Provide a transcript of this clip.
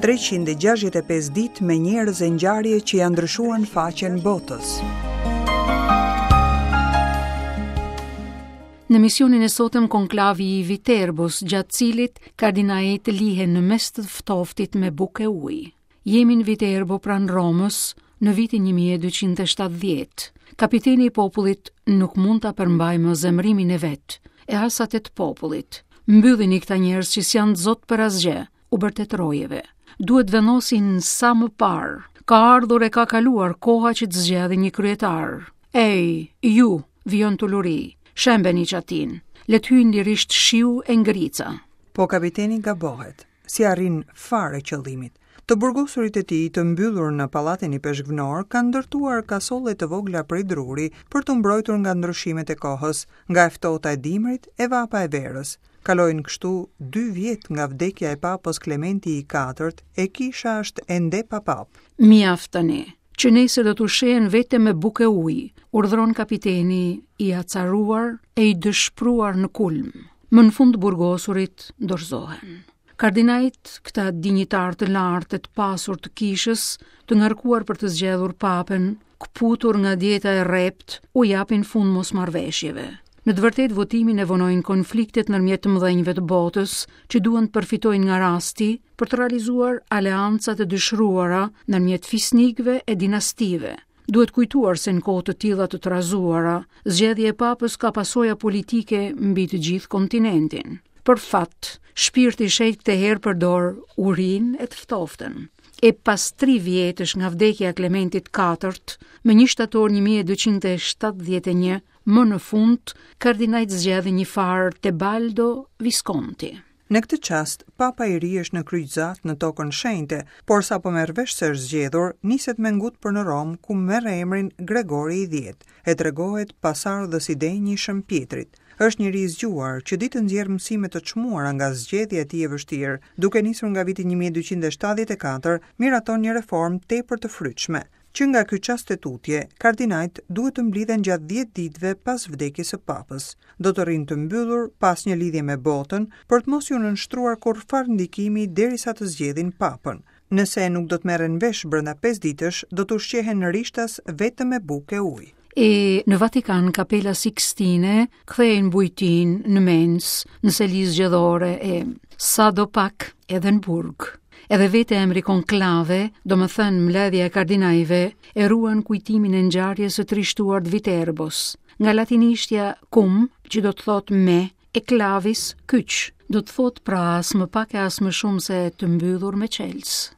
365 ditë me njerëz e ngjarje që ia ndryshuan faqen botës. Në emisionin e sotëm konklavi i Viterbos, gjatë cilit kardinajt lihen në mes të ftoftit me bukë e ujë. Jemi në Viterbo pranë Romës në vitin 1270. Kapiteni i popullit nuk mund ta përmbajë më zemërimin e vet, e as atë të popullit. Mbyllini këta njerëz që s'janë zot për asgjë, u bërtet rojeve. Duhet vendosin sa më parë. Ka ardhur e ka kaluar koha që të zgjedhin një kryetar. Ej, ju, vijon të ulërijë, shembeni çatinë. Le të hyjnë lirisht shiu e ngrica. Po kapiteni gabohet. S'i arrin fare qëllimit. Të burgosurit e tij të mbyllur në pallatin ipeshkvnor kanë ndërtuar kasolle të vogla prej druri për t'u mbrojtur nga ndryshimet e kohës, nga e ftohta e dimrit e vapa e verës. Kalojnë kështu dy vjet nga vdekja e Papës Klementi i Katërt e kisha është ende pa papë. Mjaft tani, që nesër do të ushqehen vetëm me bukë e ujë, urdhëron kapiteni i acaruar e i dëshpëruar në kulm. Më në fund burgosurit dorëzohen. Kardinajt, këta dinjitarë të lartë e të pasur të kishës, të ngarkuar për të zgjedhur papën, këputur nga dieta e rreptë, u japin fund mosmarrëveshjeve. Në të vërtetë votimin e vonojnë konfliktet ndërmjet të mëdhenjve të botës, që duan të përfitojnë nga rasti për të realizuar aleancat e dëshiruara ndërmjet fisnikëve e dinastive. Duhet kujtuar se në kohë të tilla të trazuara, zgjedhja e papës ka pasoja politike mbi të gjithë kontinentin. Për fat, shpirti i shenjtë këtë herë përdor urinë e të ftoftën. E pas tri vjetësh nga vdekja e Klementit IV, më 1 shtator 1271, më në fund, kardinajt zgjedhin një farë Tebaldo Visconti. Në këtë çast, Papa i ri është në kryqëzatë në Tokën Shenjte, por sapo merr vesh se është zgjedhur, niset me ngut për në Romë, ku merr emrin Gregori i Dhjetë, e tregohet pasardhës i denjë i Shën Pjetrit. Është njeri i zgjuar, që di të nxjerrë mësime të çmuara nga zgjedhja e tij e vështirë. Duke nisur nga viti 1274, miraton një reformë tepër të frytshme. Që nga ky çast e tutje, kardinajt duhet të mblidhen gjatë 10 ditëve pas vdekjes së Papës. Do të rrinë të mbyllur, pa asnjë lidhje me botën, për të mos iu nënshtruar kurrfarë ndikimi derisa të zgjedhin Papën. Nëse nuk do të merren vesh brenda 5 ditësh, do të ushqehen rishtas vetëm me bukë e ujë. E në Vatikan Kapela Sixtine kthehej në bujtinë, në mensë, në seli zgjedhore e sado pak edhe në burg. Edhe vetë emri konklave, domethënë mbledhja e kardinajve, e ruan kujtimin e ngjarjes së trishtuar të Viterbos. Nga latinishtja cum, që do të thotë me, e clavis kyç, do të thotë pra as më pak e as më shumë se të mbyllur me çelës.